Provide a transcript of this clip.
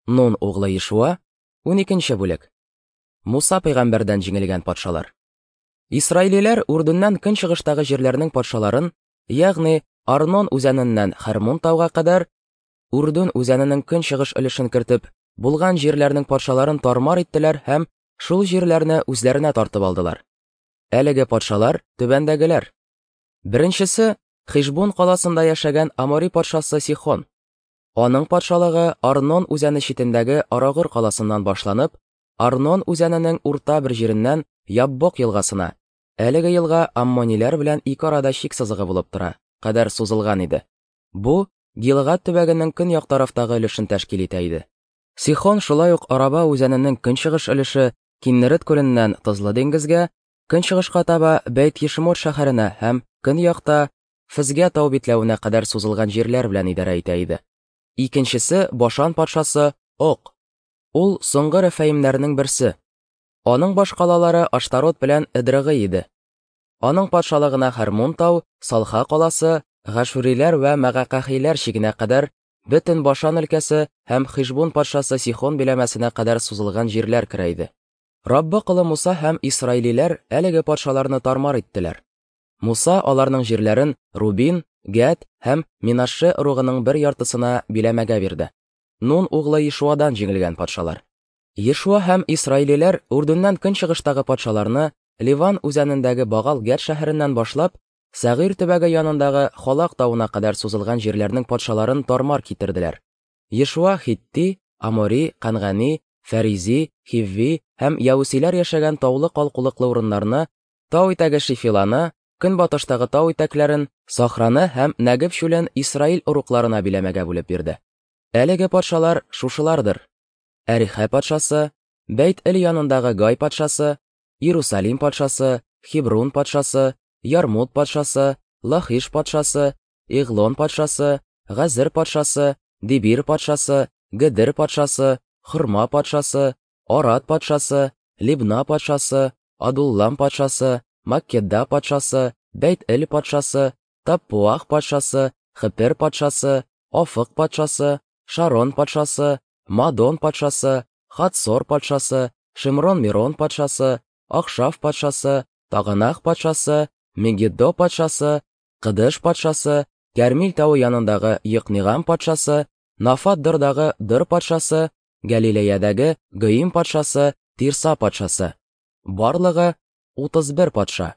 Нун углы Ешуа, 12 бүлек. Муса пәйгамбәрдән җиңелгән патшалар. Исраилиләр Үрдүннән көнчыгыштагы җирләрнең патшаларын, ягъни Арнон үзәненнән Хәрмун тауга кадәр, Үрдүн үзәненең көнчыгыш өлешен кертеп, булган җирләрнең патшаларын тармар иттеләр һәм шул җирләрне үзләренә тартып алдылар. Әлеге патшалар түбәндәгеләр. Беренчесе Хишбун каласында яшәгән Амори патшасы Сихон. Аның патшалыгы Арнон үзәне читендәге Арагыр каласыннан башланып, Арнон үзәненең урта бер җиреннән Яббок елгасына, әлеге елга аммониләр белән ике арада чик сызыгы булып тора, кадәр сузылган иде. Бу Гилгад төбәгенең көньяк тарафтагы өлешен тәшкил итә иде. Сихон шулай ук Араба үзәненең көнчыгыш өлеше Киннерет күленнән Тозлы диңгезгә, көнчыгышка таба Бәйт-Ешмот шәһәренә һәм көньякта Фезгә тау битләвенә кадәр сузылган җирләр белән идарә итә иде. Икенчесе Башан патшасы Ок. Ул соңгы рәфәимнәрнең берсе. Аның башкалалары Аштарот белән Эдрыгый иде. Аның патшалыгына Хәрмун тау, Салха каласы, Гашуриләр вә Мәгакахиләр чигенә кадәр, бөтен Башан өлкәсе һәм Хишбун патшасы Сихон биләмәсенә кадәр сузылган җирләр керә иде. Раббы колы Муса һәм исраилиләр әлеге патшаларны тармар иттеләр. Муса аларның җирләрен Рубин, Гәд һәм Минаше ыругының бер яртысына биләмәгә бирде. Нун углы Ешуадан җиңелгән патшалар. Ешуа һәм исраилиләр Үрдүннән көнчыгыштагы патшаларны Ливан үзәнендәге Багал Гәд шәһәреннән башлап, Сәгыйр төбәге янындагы Халак тавына кадәр сузылган җирләрнең патшаларын тармар китерделәр. Ешуа Хитти, Амори, Кангани, Фәризи, Хивви һәм Яүсиләр яшәгән таулы калкулыклы урыннарны, тау итәге Шифиланы, көнбатыштагы тау итәкләрен, Сахраны һәм Нәгеб чүлен Исраил ыругларына биләмәгә бүлеп бирде. Әлеге патшалар шушылардыр: Әрихә патшасы, Бәйт-Эл янындагы Гай патшасы, Иерусалим патшасы, Хебрун патшасы, Ярмут патшасы, Лахиш патшасы, Иглон патшасы, Газер патшасы, Дибир патшасы, Гедер патшасы, Хурма патшасы, Арад патшасы, Либна патшасы, Адуллам патшасы, Маккеда патшасы, Бәйт-Эл патшасы, Таппуах патшасы, Хепер патшасы, Афык патшасы, Шарон патшасы, Мадон патшасы, Хатсор патшасы, Шимрон-Мирон патшасы, Ахшаф патшасы, Таганах патшасы, Мегиддо патшасы, Кыдыш патшасы, Кәрмил тавы янындагы Йыкнигам патшасы, Нафат Дырдагы Дыр патшасы, Галилеядәге Гыим патшасы, Тирса патшасы. Барлыгы 31 патша.